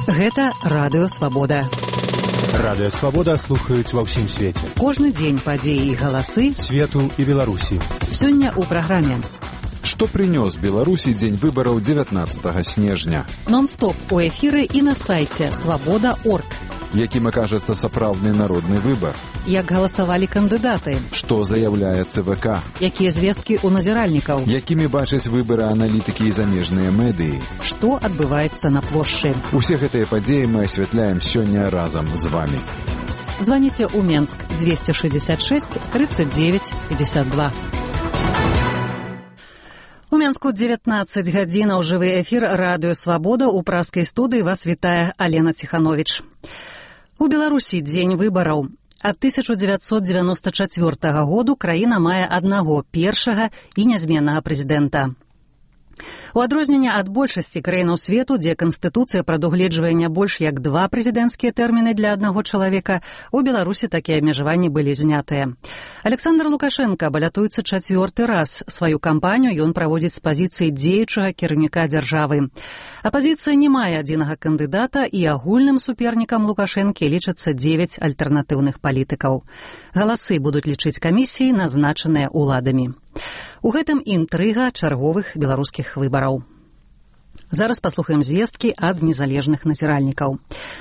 Гэта Радыё Свабода. Радыё Свабода слухаюць ва ўсім свеце. Кожны дзень падзеі і галасы свету і Беларусі. Сёння ў праграме. Што прынёс Беларусі дзень выбараў 19 снежня? Нон-стоп у эфіры і на сайце свабода.орг. Якім акажацца сапраўдны народны выбар? Як галасавалі кандыдаты? Што заяўляе ЦВК? Якія звесткі ў назіральнікаў? Якімі бачаць выбары аналітыкі і замежныя медыі? Што адбываецца на плошчы? Усе гэтыя падзеі мы асвятляем сёння разам з вамі. Званіце ў Менск 266 39 52. У Менску 19 гадзінаў жывы эфір Радыё Свабода. У праскай студыі вас вітае Алена Ціхановіч. У Беларусі дзень выбараў. Ад 1994 году краіна мае аднаго першага і нязменнага прэзідэнта. У адрозненне ад большасці краінаў свету, дзе Канстытуцыя прадугледжвае не больш як 2 прэзідэнцкія тэрміны для аднаго чалавека, у Беларусі такія абмежаванні былі знятыя. Александр Лукашенко балятуецца 4-й раз. Сваю кампанію ён праводзіць з пазіцыі дзеючага кіраўніка дзяржавы. Апазіцыя не мае адзінага кандыдата, і агульным супернікам Лукашэнкі лічацца 9 альтэрнатыўных палітыкаў. Галасы будуць лічыць камісіі, назначаныя ўладамі. У гэтым інтрыга чарговых беларускіх выбараў. Зараз паслухаем звесткі ад незалежных назіральнікаў.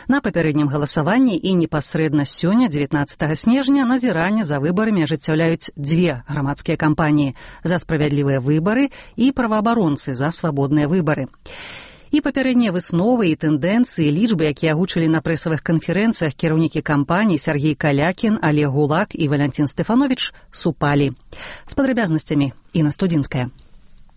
На папярэднім галасаванні і непасрэдна сёння, 19 снежня, назіранне за выбарамі ажыццяўляюць 2 грамадскія кампаніі «За справядлівыя выбары» і «Праваабаронцы за свабодныя выбары». І папярэднія высновы і тэндэнцыі, лічбы, якія агучылі на прэсавых канферэнцыях кіраўнікі кампаній Сергей Калякін, Олег Гулак і Валянцін Стэфановіч супалі. З падрабязнасцямі Інна Студзінская.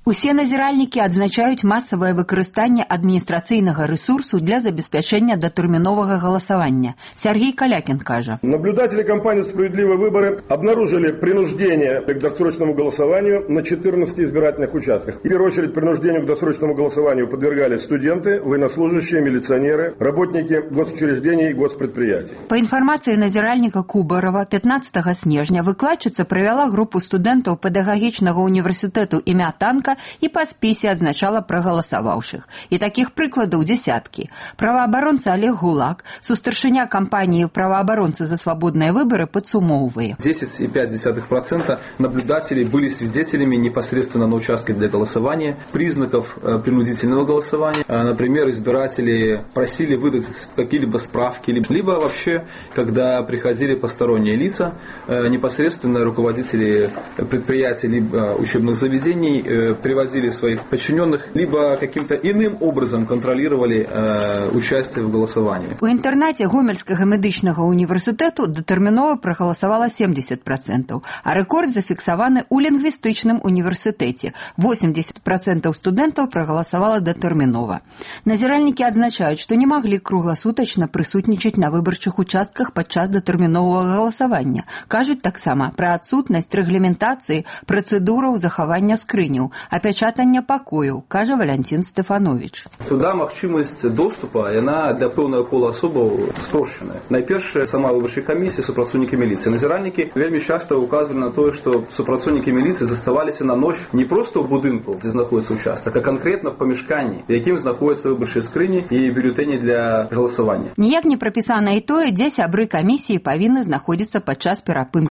Усе назіральнікі адзначаюць масавае выкарыстанне адміністрацыйнага рэсурсу для забеспячэння датэрміновага галасавання. Сергей Калякин кажа. Наблюдатели кампании «Справедливые выборы» обнаружили принуждение к досрочному голосованию на 14 избирательных участках. В первую очередь принуждению к досрочному голосованию подвергались студенты, военнослужащие, милиционеры, работники госучреждений и госпредприятий. По информации назиральника Кубарова, 15 снежня выкладчица провела группу студентов педагогічнага университету імя Танка і па спісе адзначала прагаласаваўшых. І такіх прыкладаў дзесяткі. Праваабаронца Олег Гулак, сустаршыня кампаніі «Праваабаронцы за свободные выборы» подсумоўвае. 10,5% наблюдателей были свидетелями непосредственно на участке для голосования, признаков принудительного голосования. Например, избиратели просили выдать какие-либо справки, либо вообще, когда приходили посторонние лица, непосредственно руководители предприятий либо учебных заведений приводили своих подчиненных, либо каким-то иным образом контролировали участие в голосовании. У інтэрнаце Гомельскага медычнага універсітэту датэрмінова прагаласавала 70%, а рэкорд зафіксаваны ў лінгвістычным універсітэце. 80% студэнтаў прагаласавала датэрмінова. Назіральнікі адзначаюць, што не маглі кругласутачна прысутнічаць на выбарчых участках падчас датэрміновага галасавання. Кажуць таксама пра адсутнасць рэгламентацыі працэдураў захавання скрыняў, апячатання пакою, кажа Валянцін Стэфановіч. Сюда магчымасць доступа, яна для пэўнага кола асобаў спрошчаная. Найперш, сама выбарчая камісія, супрацоўнікі міліцыі. Назіральнікі вельмі часта указвалі на тое, што супрацоўнікі міліцыі заставаліся на ноч не проста ў будынку, дзе знаходіцца участак, а канкрэтна в памяшканні, в якім знаходзяцца выбарчыя скрыні і бюлетэні для галасавання. Ніяк не прапісана і тое, дзе сябры камісіі павінны знаходзіцца падчас перапынку